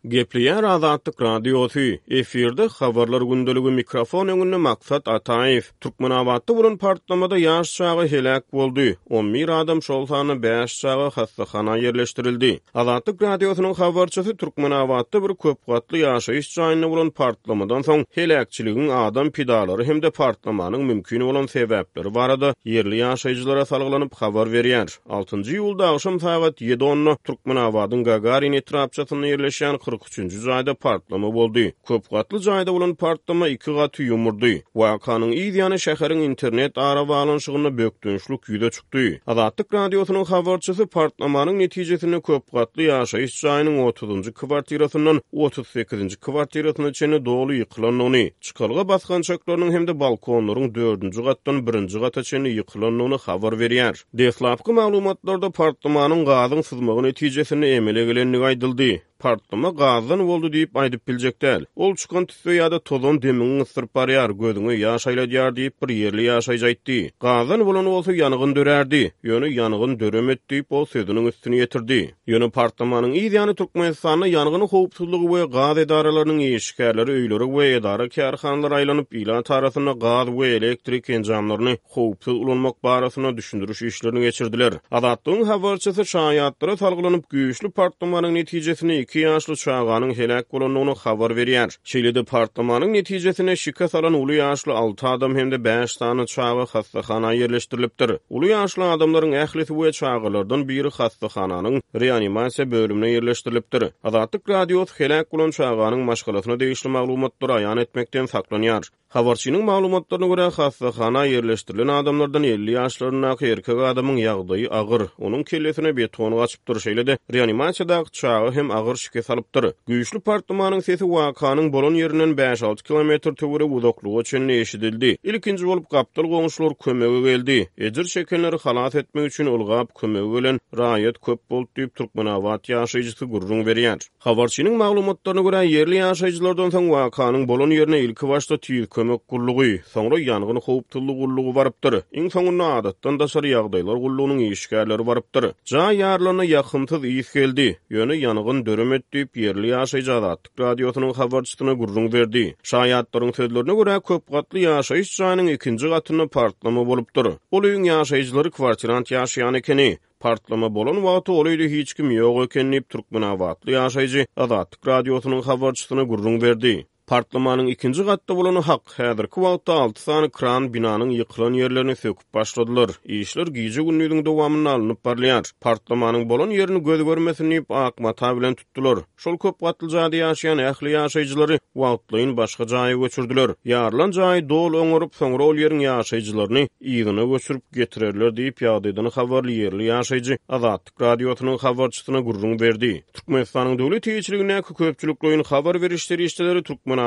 Gepleýär Azatlyk Radiosy, efirde Habarlar gündeligi mikrofon öňünde Maksat Ataýew. Türkmenabatda bolan partlamada ýaş çaga heläk boldy, on bir adam, şol sanda bäş çaga hassahana ýerleşdirildi. Azatlyk Radiosynyň habarçysy Türkmenabatda bir köpgatly ýaşaýyş jaýynda bolan partlamadan soň heläkçiligiň adam pidalary hem-de partlamanyň mümkin bolan sebäpleri barada ýerli ýaşaýjylara salgylanyp habar berýär. Altynjy iýulda agşam sagat ýedi onda Türkmenabadyň Gagarin etrapçasynda ýerleşýän 43-nji jaýda partlama boldy. Köp gatly jaýda bolan partlama iki gaty ýumurdy. Wakanyň yz ýany şäheriň internet arabaglanyşygynda bökdençlik ýüze çykdy. Azatlyk Radiosynyň habarçysy partlamanyň netijesinde köp gatly ýaşaýyş jaýynyň otuzynjy kwartirasyndan 38-nji kwartirasyna çenli doly ýykylandygyny, çykalga basgançaklarynyň hem-de balkonlaryň dördünji gatdan birinji gata çenli ýykylandygyny habar berýär. Deslapky maglumatlarda partlamanyň gazyň syzmagy netijesinde emele gelendigi aýdyldy. Partlama gazdan boldy diýip aýdyp biljek däl. Ol çykan tüsse ýa-da tozan demiňi gysdyryp barýar, gözüňe ýaş aýladýar diýip, bir ýerli ýaşaýjy aýtdy. Gazdan bolan bolsa ýangyn dörärdi. Ýöne ýangyn döremedi diýip, ol sözüniň üstüni ýetirdi. Ýöne partlamanyň yz ýany Türkmenistanda ýangyn howpsuzlygy we gaz edaralarynyň işgärleri öýlere we edara-kärhanalara aýlanyp, ilat arasynda gaz we elektrik enjamlaryny howpsuz ulanmak barasynda düşündiriş işlerini geçirdiler. Azatlygyň habarçysy şaýatlara salgylanyp, güýçli partlamanyň netijesinde iki ýaşly çaganyň heläk bolandygyny habar berýär. Şeýle-de partlamanyň netijesinde şikes alan uly ýaşly alty adam hem-de bäş sany çaga hassahana ýerleşdirilipdir. Uly ýaşly adamlaryň ählisi we çagalardan biri hassahananyň reanimasiýa bölümine ýerleşdirilipdir. Azatlyk Radiosy heläk bolan çaganyň maşgalasyna degişli maglumatlary aýan etmekden saklanýar. Habarçynyň maglumatlaryna görä, hassahana ýerleşdirilen adamlardan 50 ýaşlaryndaky erkek adamyň ýagdaýy agyr, onuň kellesine beton gaçypdyr, şeýle-de reanimasiýadaky çaga hem agyr şikes alypdyr. Güýçli partlamanyň sesi wakanyň bolan ýerinden bäş-alty kilometr töweregi uzaklyga çenli eşidildi. Ilkinji bolup gapdal goňşular kömege geldi. Ejir çekenleri halas etmek üçin ylgap kömege gelen raýat köp boldy diýip, türkmenabat ýaşaýjysy gürrüň berýär. Habarçynyň maglumatlaryna görä, ýerli ýaşaýjylardan soň wakanyň bolan ýerine ilkibaşda Tiz kömek gullugy, soňra ýangyn howpsuzlygy gullugy barypdyr. Iň soňunda Adatdan daşary ýagdaýlar gullugynyň işgärleri barypdyr. Jaý ýarylanda ýakymsyz ys geldi, ýöne ýangyn döremedi diýip, ýerli ýaşaýjy Azatlyk Radiosynyň habarçysyna gürrüň berdi. Şaýatlaryň sözlerine görä, köp gatly ýaşaýyş jaýynyň ikinji gatynda partlama bolupdyr. Ol öýüň ýaşaýjylary kwartirant ýaşaýan ekeni. Partlama bolan wagty ol öýde hiç kim ýok eken diýip, türkmenabatly ýaşaýjy Azatlyk Radiosynyň habarçysyna gürrüň berdi. Partlamanyň ikinji gatda bolany hak. Häzirki wagtda alty sany kran binanyň ýykylan ýerlerini söküp başladylar. Işler gije-gündiziň dowamynda alnyp barylýar. Partlamanyň bolan ýerini göz görmesin diýip, ak mata bilen tutdular. Şol köp gatly jaýda ýaşaýan ähli ýaşaýjylary wagtlaýyn başga jaýa göçürdiler. Ýarylan jaýy doly oňaryp, soňra ol ýeriň ýaşaýjylaryny yzyna göçürip getirerler diýip, ýagdaýdan habarly ýerli ýaşaýjy Azatlyk Radiosynyň habarçysyna gürrüň berdi. Türkmenistanyň döwlet eýeçiligindäki köpçülikleýin habar beriş serişdeleri Türkmenabatda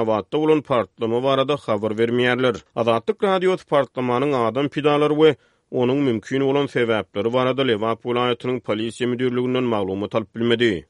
bolan partlama barada habar bermeýärler. Azatlyk Radiosy partlamanyň adam pidalary we onuň mümkin bolan sebäpleri barada Lebap welaýatynyň Polisiýa müdirliginden maglumat alyp bilmedi.